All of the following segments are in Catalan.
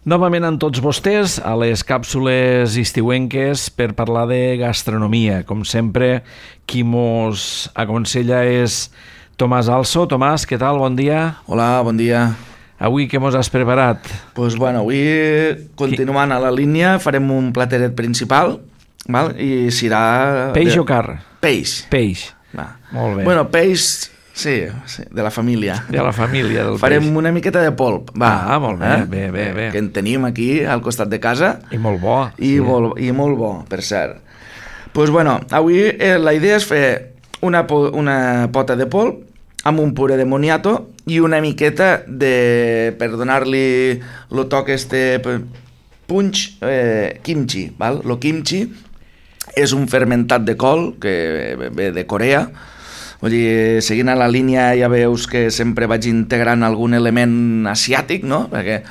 Novament amb tots vostès a les càpsules estiuenques per parlar de gastronomia. Com sempre, qui mos aconsella és Tomàs Also. Tomàs, què tal? Bon dia. Hola, bon dia. Avui què mos has preparat? Doncs avui, continuant a la línia, farem un plateret principal, val? I serà... Peix o carn? Peix. Peix. Va. Molt bé. Bueno, peix... Sí, de la família. De la família del Farem peix. una miqueta de polp. Va, molt bé, bé. Que en tenim aquí, al costat de casa. I molt bo. I molt bo, per cert. Doncs bueno, avui la idea és fer una pota de polp amb un puré de moniato i una miqueta de, per donar-li el toc punch, kimchi. Val? Lo kimchi és un fermentat de col que ve de Corea. Vull dir, seguint a la línia ja veus que sempre vaig integrant algun element asiàtic, no? Perquè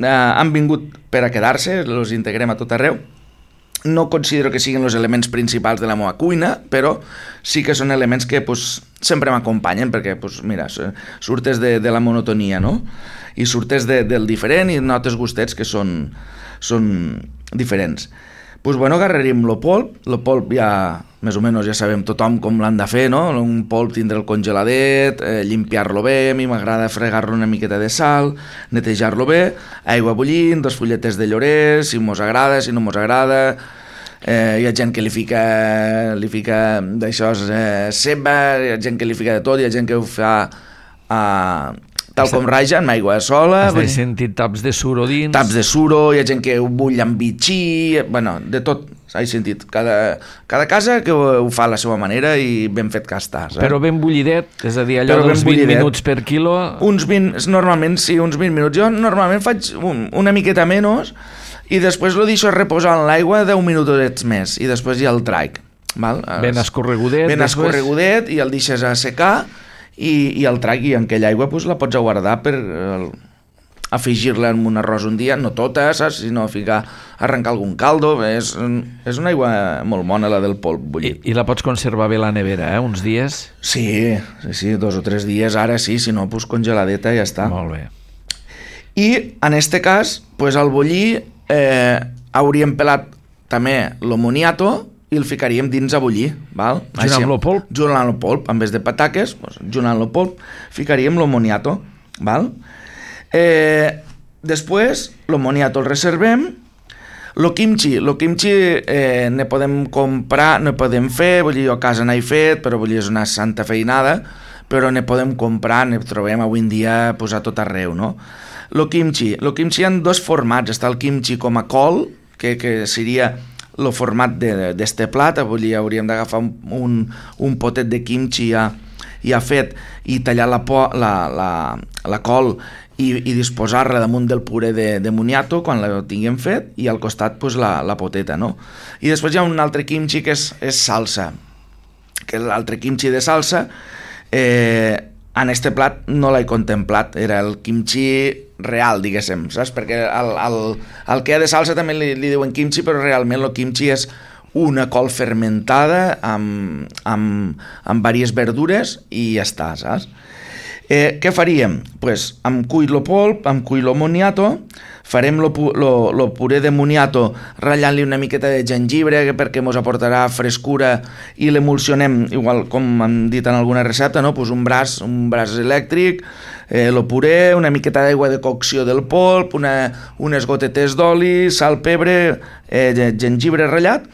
han vingut per a quedar-se, els integrem a tot arreu. No considero que siguin els elements principals de la meva cuina, però sí que són elements que sempre m'acompanyen, perquè mira, surtes de la monotonia, no? I surtes del diferent i notes gustets que són diferents. Doncs bueno, agarraríem el polp ja, més o menys ja sabem tothom com l'han de fer, no? Un polp tindre el congeladet, limpiar-lo bé, a mi m'agrada fregar-lo una miqueta de sal, netejar-lo bé, aigua bullint, 2 fulletes de llorer, si mos agrada, si no mos agrada, hi ha gent que li fica d'això ceba, hi ha gent que li fica de tot, hi ha gent que ho fa tal com raja, amb aigua sola. Has sentit taps de suro dins? Taps de suro, hi ha gent que ho bull amb bitxí, bueno, de tot, he sentit. Cada casa que ho fa a la seva manera i ben fet que està. Però ben bullidet, és a dir, allò dels 20 minuts per quilo... Normalment sí, uns 20 minuts. Jo normalment faig una miqueta menys i després lo deixo reposar en l'aigua 10 minutets més i després ja el traic. Ben escorregudet. Ben escorregudet i el deixes a secar i el tragui, i en aquella aigua la pots guardar per afegir-la en un arròs un dia, no tota, saps? Sinó arrencar algun caldo. És una aigua molt bona, la del polp bullit. I la pots conservar bé a la nevera, uns dies? Sí, 2 o 3 dies, ara sí, si no, congeladeta i ja està. Molt bé. I en este cas, al bullir hauríem pelat també el moniato i el ficaríem dins a bullir, val? Junt amb el polp? Junt amb el polp, en vez de pataques, junt amb el polp, ficaríem el moniato, val? Després, el moniato el reservem. El kimchi ne podem comprar, ne podem fer, vull dir, jo a casa n'he fet, però vull dir, és una santa feinada, però ne podem comprar, ne trobem avui en dia a tot arreu, no? El kimchi hi ha 2 formats, està el kimchi com a col, que seria el format d'este plat, vull dir, hauríem d'agafar un potet de kimchi ja fet i tallar la col i disposar-la damunt del puré de moniato quan la tinguem fet i al costat la poteta, no? I després hi ha un altre kimchi que és salsa, que l'altre kimchi de salsa en este plat no l'he contemplat, era el kimchi real, diguéssim, saps? Perquè el que hi ha de salsa també li diuen kimchi, però realment el kimchi és una col fermentada amb diverses verdures i ja està, saps? Què faríem? Em cull el polp, em cull el moniato, farem el puré de moniato ratllant-li una miqueta de jengibre perquè ens aportarà frescura i l'emulsionem, igual com hem dit en alguna recepta, no? Un braç elèctric, el puré, una miqueta d'aigua de cocció del polp, unes gotetes d'oli, sal, pebre, jengibre ratllat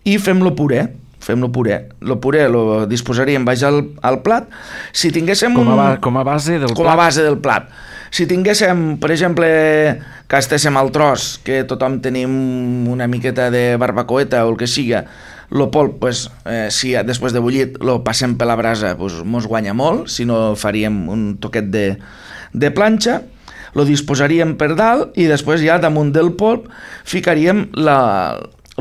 i fem el puré. El puré lo disposaríem baix al plat. Si tinguéssim... Com a base del plat? Com a base del plat. Si tinguéssim, per exemple, que estéssim al tros, que tothom tenim una miqueta de barbacoeta o el que siga, el polp, si després de bullit lo passem per la brasa, mos guanya molt, si no faríem un toquet de planxa, lo disposaríem per dalt i després ja damunt del polp ficaríem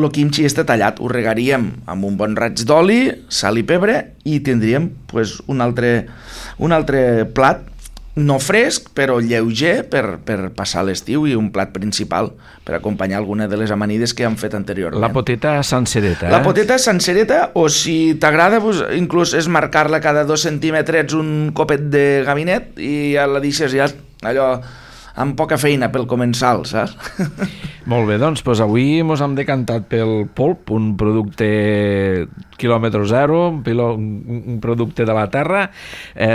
el kimchi tallat, ho regaríem amb un bon raig d'oli, sal i pebre i tindríem un altre plat no fresc però lleuger per passar l'estiu i un plat principal per acompanyar alguna de les amanides que hem fet anteriorment. La poteta sencereta, La poteta sencereta, o si t'agrada inclús és marcar-la cada 2 centímetres un copet de gabinet i ja la deixes ja allò amb poca feina pel comensal, saps? Molt bé, doncs avui mos hem decantat pel polp, un producte quilòmetre zero, un producte de la terra.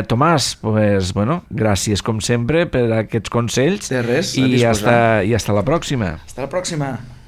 Tomàs, gràcies com sempre per aquests consells. De res, i hasta la pròxima. Hasta la pròxima.